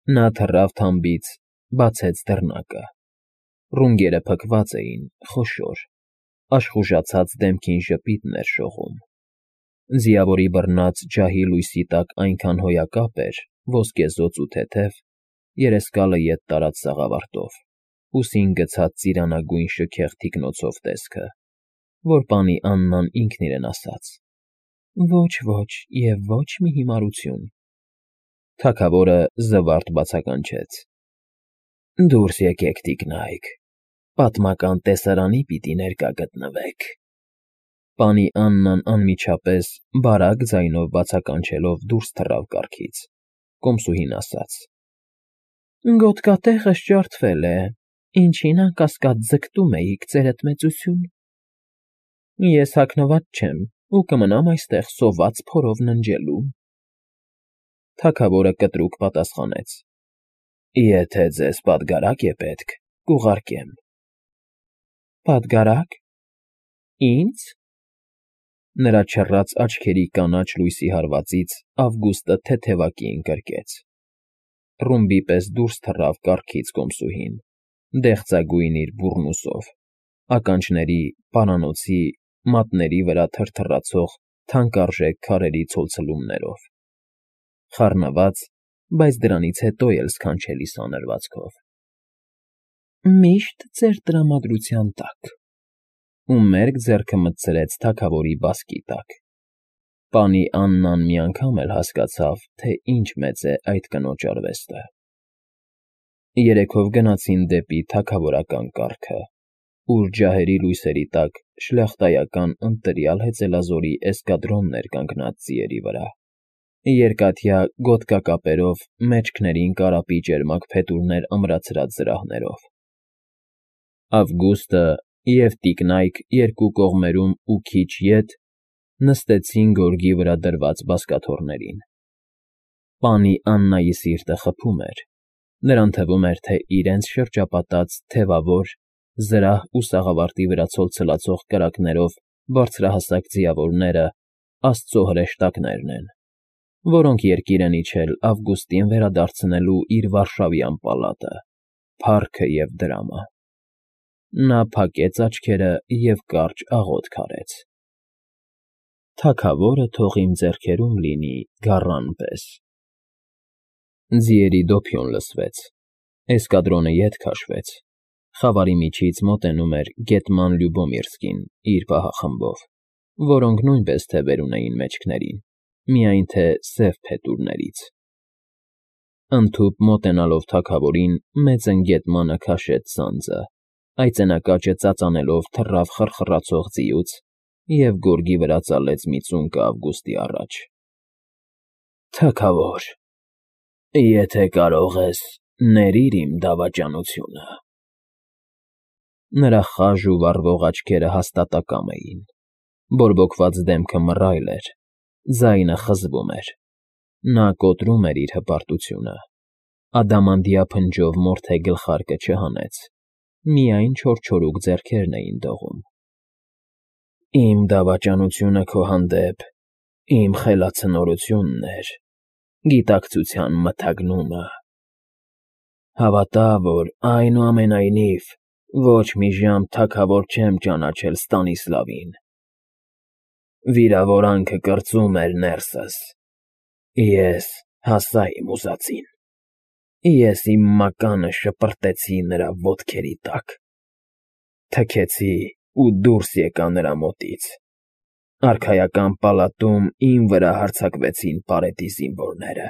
Նա թռավ թամբից, բացեց դռնակը։ Ռունգերը փքված էին, խոշոր, աշխուժացած դեմքին ժպիտն էր շողում։ Ձիավորի բռնած ջահի լույսի տակ այնքան հոյակապ էր, ոսկեզօծ ու թեթև, երեսկալը ետ տարած սաղավարտով, ուսին գցած ծիրանագույն շքեղ թիկնոցով տեսքը, որ պանի Աննան ինքն իրեն ասաց. «Ոչ և ոչ մի հիմարություն»։ Թագավորը զվարթ բացականչեց. «Դուրս եկեք, տիկնայք, պատմական տեսարանի պիտի ներկա գտնվեք»։ Պանի Աննան անմիջապես բարակ ձայնով բացականչելով դուրս թռավ կառքից, կոմսուհին ասաց. «Գոտկատեղս ջարդվել է, ինչին անկասկած ձգտում էիք, ձերդ մեծություն»։ «Ես հագնված չեմ ու կմնամ այստեղ սոված փորով ննջելու»։ Թագավորը կտրուկ պատասխանեց. «Եթե ձեզ պատգարակ է պետք, կուղարկեմ»։ «Պատգարակ… ինձ»։ Նրա չռած աչքերի կանաչ լույսի հարվածից Ավգուստը թեթևակի ընկրկեց։ Ռումբի պես դուրս թռավ կառքից կոմսուհին, դեղձագույն իր բուռնուսով, ականջների, պարանոցի, մատների վրա թրթռացող թանկարժեք քարերի ցոլցլումներով, խառնված, բայց դրանից հետո էլ սքանչելի սանրվածքով։ «Միշտ ձեր տրամադրության տակ»։ Ու մերկ ձեռքը մտցրեց թագավորի բասկի տակ։ Պանի Աննան մի անգամ էլ հասկացավ, թե ինչ մեծ է այդ կնոջ արվեստը։ Երեքով գնացին դեպի թագավորական կառքը, ուր ջահերի լույսերի տակ շլախտայական ընտրյալ հեծելազորի էսկադրոնն էր կանգնած ձիերի վրա, երկաթյա գոտկակապերով մեջքներին կարապի ճերմակ փետուրներ ամրացրած զրահներով։ Ավգուստը և տիկնայք երկու կողմերում ու քիչ ետ նստեցին գորգի վրա դրված բազկաթոռներին։ Պանի Աննայի սիրտը խփում էր, նրան թվում էր, թե իրենց շրջապատած թևավոր, զրահ ու սաղավարտի վրա ցոլցլացող կրակներով բարձրահասակ ձիավորները աստծո հրեշտակներն են, որոնք երկիր են իջել Ավգուստին վերադարձնելու իր վարշավյան պալատը, փառքը և դրամը։ Նա փակեց աչքերը և կարճ աղոթք արեց. «Թագավորը թող իմ ձեռքերում լինի գառան պես»։ Ձիերի դոփյուն լսվեց, էսկադրոնը ետ քաշվեց, խավարի միջից մոտենում էր գետման Լյուբոմիրսկին իր պահախմբով, որոնք նույնպես թևեր ունեին մեջքներին, միայն թե սև փետուրներից։ Ընդհուպ մոտենալով թագավորին, մեծընկետմանը քաշեց սանձը, այծենակաճը ծածանելով թռավ խռխռացող ձիուց և գորգի վրա ծալեց մի ծունկը Ավգուստի առաջ։ «Թագավոր, եթե կարող ես, ներիր իմ դավաճանությունը»։ Նրա խաժ ու վառվող աչքերը հաստատակամ էին, բորբոքված դեմքը մռայլ էր, ձայնը խզվում էր։ Նա կոտրում էր իր հպարտությունը, ադամանդյա փնջով մորթե գլխարկը չհանեց, միայն չորչորուկ ձեռքերն էին դողում։ «Իմ դավաճանությունը քո հանդեպ իմ խելացնորությունն էր, գիտակցության մթագնումը։ Հավատա, որ այնուամենայնիվ ոչ մի ժամ թագավոր չեմ ճանաչել Ստանիսլավին։ Վիրավորանքը կրծում էր ներսս, ես հասա իմ ուզածին։ Ես իմ մականը շպրտեցի նրա ոտքերի տակ, թքեցի ու դուրս եկա նրա մոտից։ Արքայական պալատում իմ վրա հարձակվեցին պարետի զինվորները։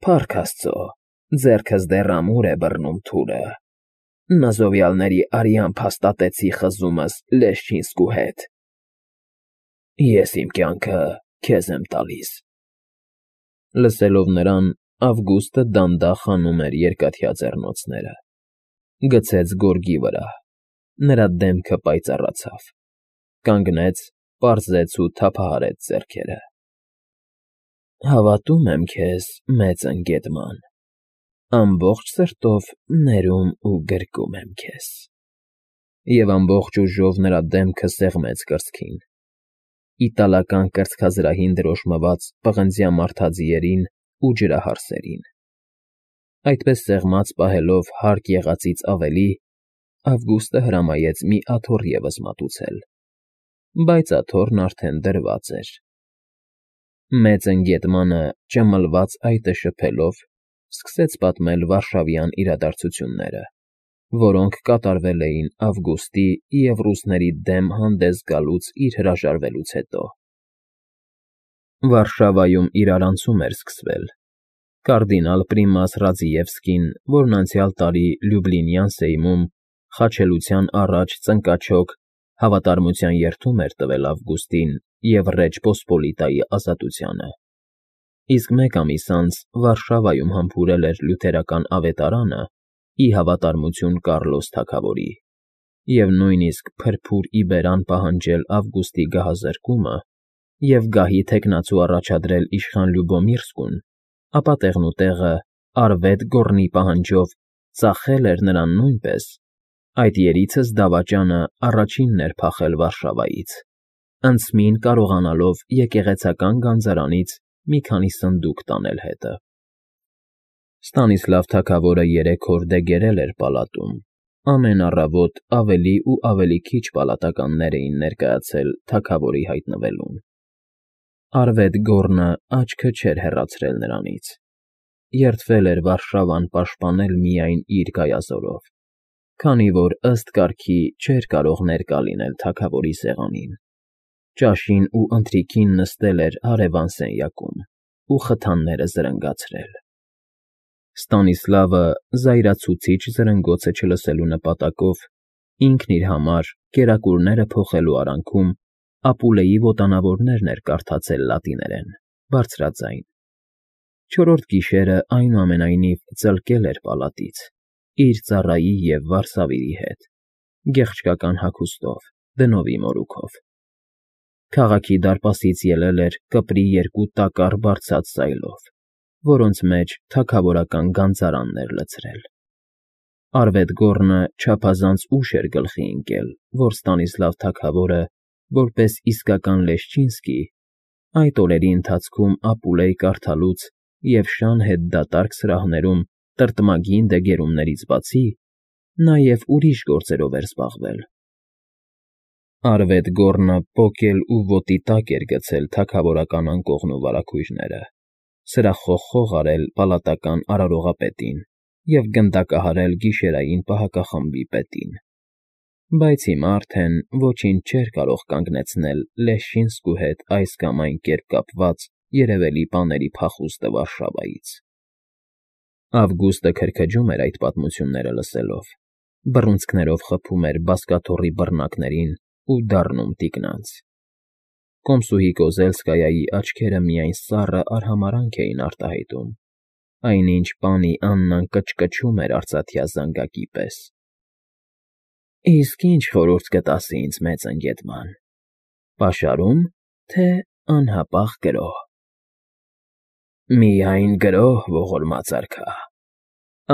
Փառք Աստծո, ձեռքս դեռ ամուր է բռնում թուրը։ Նազովյալների արյամբ հաստատեցի խզումս Լեշչինսկու հետ։ Ես իմ կյանքը քեզ եմ տալիս»։ Լսելով նրան, Ավգուստը դանդաղ հանում էր երկաթյա ձեռնոցները, գցեց գորգի վրա, նրա դեմքը պայծառացավ, կանգնեց, պարզեց ու թափահարեց ձեռքերը։ «Հավատում եմ քեզ, մեծընկետման, ամբողջ սրտով ներում ու գրկում եմ քեզ»։ Եվ ամբողջ ուժով նրա դեմքը սեղմեց կրծքին, իտալական կրծքազրահին դրոշմված պղնձյա մարդաձիերին ու ջրահարսերին։ Այդպես սեղմած պահելով հարկ եղածից ավելի, Ավգուստը հրամայեց մի աթոռ ևս մատուցել, բայց աթոռն արդեն դրված էր։ Մեծ ընկետմանը ճմլված այտը շփելով սկսեց պատմել վարշավյան իրադարձությունները, որոնք կատարվել էին Ավգուստի և ռուսների դեմ հանդես գալուց իր հրաժարվելուց հետո։ Վարշավայում իրարանցում էր սկսվել։ Կարդինալ Պրիմաս Ռաձիևսկին, որն անցյալ տարի Լյուբլինյան սեյմում խաչելության առաջ ծնկաչոք հավատարմության երդում էր տվել Ավգուստին և Ռեջ Պոսպոլիտայի ազատությանը, իսկ մեկ ամիս անց Վարշավայում համբուրել էր լյութերական ավետարանը ի հավատարմություն Կառլոս թագավորի և նույնիսկ փրփուր ի բերան պահանջել Ավգուստի գահազրկումը և գահի թեկնածու առաջադրել իշխան Լյուբոմիրսկուն, ապա տեղնուտեղը Արվետ Գոռնի պահանջով ծախել էր նրան նույնպես, այդ երիցս դավաճանը առաջինն էր փախել Վարշավայից, անցմին կարողանալով եկեղեցական գանձարանից մի քանի սնդուկ տանել հետը։ Ստանիսլավ թագավորը 3 օր դեգերել էր պալատում, ամեն առավոտ ավելի ու ավելի քիչ պալատականներ էին ներկայացել թագավորի հայտնվելուն։ Արվետ Գոռնը աչքը չէր հեռացրել նրանից, երդվել էր Վարշավան պաշտպանել միայն իր գայազորով, քանի որ ըստ կարգի չէր կարող ներկա լինել թագավորի սեղանին, ճաշին ու ընթրիքին նստել էր հարևան սենյակում ու խթանները զրնգացրել։ Ստանիսլավը զայրացուցիչ զրնգոցը չլսելու նպատակով ինքն իր համար կերակուրները փոխելու արանքում Ապուլեի ոտանավորներն էր կարդացել լատիներեն, բարձրաձայն։ Չորրորդ գիշերը այնուամենայնիվ ծլկել էր պալատից, իր ծառայի և վարսավիրի հետ, գեղչկական հագուստով, դնովի մորուքով։ Քաղաքի դարպասից ելել էր կպրի 2 տակառ բարձած սայլով, որոնց մեջ թագավորական գանձարանն էր լցրել։ Արվետ Գոռնը չափազանց ուշ էր գլխի ընկել, որ Ստանիսլավ թագավորը, որպես իսկական Լեշչինսկի, այդ օրերի ընթացքում Ապուլեյ կարդալուց և շան հետ դատարկ սրահներում տրտմագին դեգերումներից բացի, նաև ուրիշ գործերով էր զբաղվել։ Արվետ Գոռնը պոկել ու ոտի տակ էր գցել թագավորական անկողնու վարագույրները, սրախխող արել պալատական արարողապետին և գնդակահարել գիշերային պահակախմբի պետին, բայց հիմա արդեն ոչինչ չէր կարող կանգնեցնել Լեշչինսկու հետ այս կամ այն կերպ կապված երևելի բաների փախուստը Վարշավայից։ Ավգուստը քրքջում էր այդ պատմությունները լսելով, բռունցքներով խփում էր բազկաթոռի բռնակներին ու դառնում տիկնանց։ Կոմսուհի Կոզելսկայայի աչքերը միայն սառը արհամարհանք էին արտահայտում, այնինչ պանի Աննան կչկչում էր արծաթյա զանգակի պես։ Իսկ ի՞նչ խորհուրդ կտաս ինձ, մեծ ընկետման, պաշարո՞ւմ, թե անհապաղ գրոհ։ Միայն գրոհ, ողորմած արքա,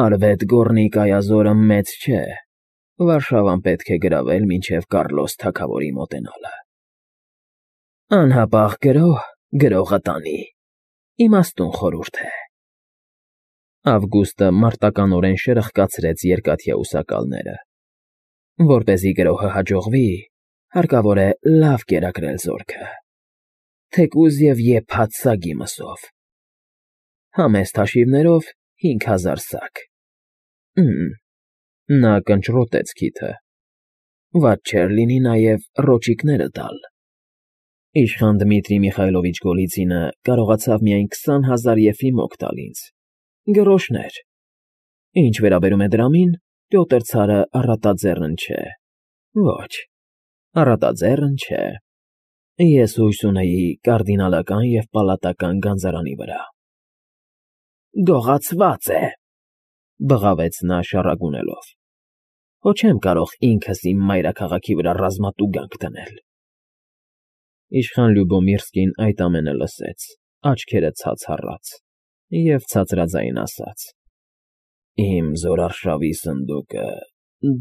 Արվետ Գոռնի կայազորը մեծ չէ, Վարշավան պետք է գրավել մինչև Կառլոս թագավորի մոտենալը։ Անհապաղ գրոհ գրողը տանի, իմաստուն խորհուրդ է։ Ավգուստը մարտականորեն շրխկացրեց երկաթյա ուսակալները։ Որպեսզի գրոհը հաջողվի, հարկավոր է լավ կերակրել զորքը, թեկուզ և եփած սագի մսով։ Համեստ հաշիվներով 5000 սակ։ Նա կնճռոտեց քիթը։ Վատ չէր լինի նաև ռոճիկները տալ։ Իշխան Դմիտրի Միխայլովիչ Գոլիցինը կարողացավ միայն 20,000 եֆիմոկ տալ ինձ, գրոշներ։ Ինչ վերաբերում է դրամին, Պյոտր ցարը առատաձեռն չէ։ Ոչ, առատաձեռն չէ։ Ես հույս ունեի կարդինալական և պալատական գանձարանի վրա։ Գողացված է, բղավեց նա շառագունելով։ Հո չեմ կարող ինքս իմ մայրաքաղաքի վրա ռազմատուգանք դնել։ Իշխան Լյուբոմիրսկին այդ ամենը լսեց, աչքերը ցած հառած, և ցածրաձայն ասաց. Իմ զորարշավի սնդուկը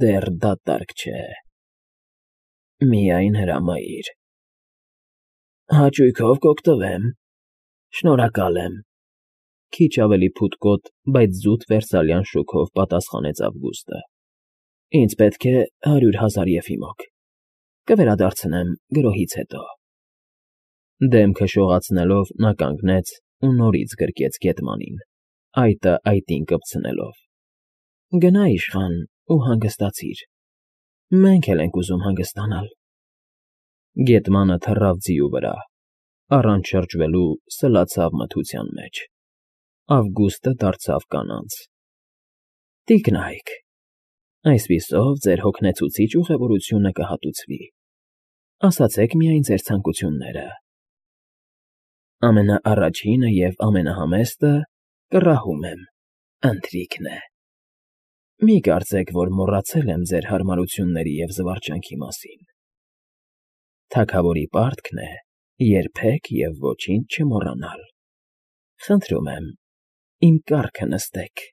դեռ դատարկ չէ։ Միայն հրամայիր։ Հաճույքով կօգտվեմ, շնորհակալ եմ, Քիչ ավելի փութկոտ, բայց զուտ վերսալյան շոգով պատասխանեց Ավգուստը։ ֊ Ինձ պետք է 100,000 եֆիմոկ, կվերադարձնեմ գրոհից հետո։ Դեմքը շողացնելով նա կանգնեց ու նորից գրկեց գետմանին, այտը այտին կպցնելով։ ֊ Գնա իշխան ու հանգստացիր, մենք էլ ենք ուզում հանգստանալ։ Գետմանը թռավ ձիու վրա, առանց շրջվելու սլացավ մթության մեջ։ Ավգուստը դարձավ կանանց. ֊ Տիկնայք, այսպիսով ձեր հոգնեցուցիչ ուղևորությունը կհատուցվի, ասացեք միայն ձեր ցանկությունները։ Ամենաառաջինը և ամենահամեստը, կռահում եմ, ընթրիքն է։ Մի կարծեք, որ մոռացել եմ ձեր հարմարությունների և զվարճանքի մասին։ Թագավորի պարտքն է երբեք և ոչինչ չմոռանալ։ Խնդրում եմ, իմ կառքը նստեք։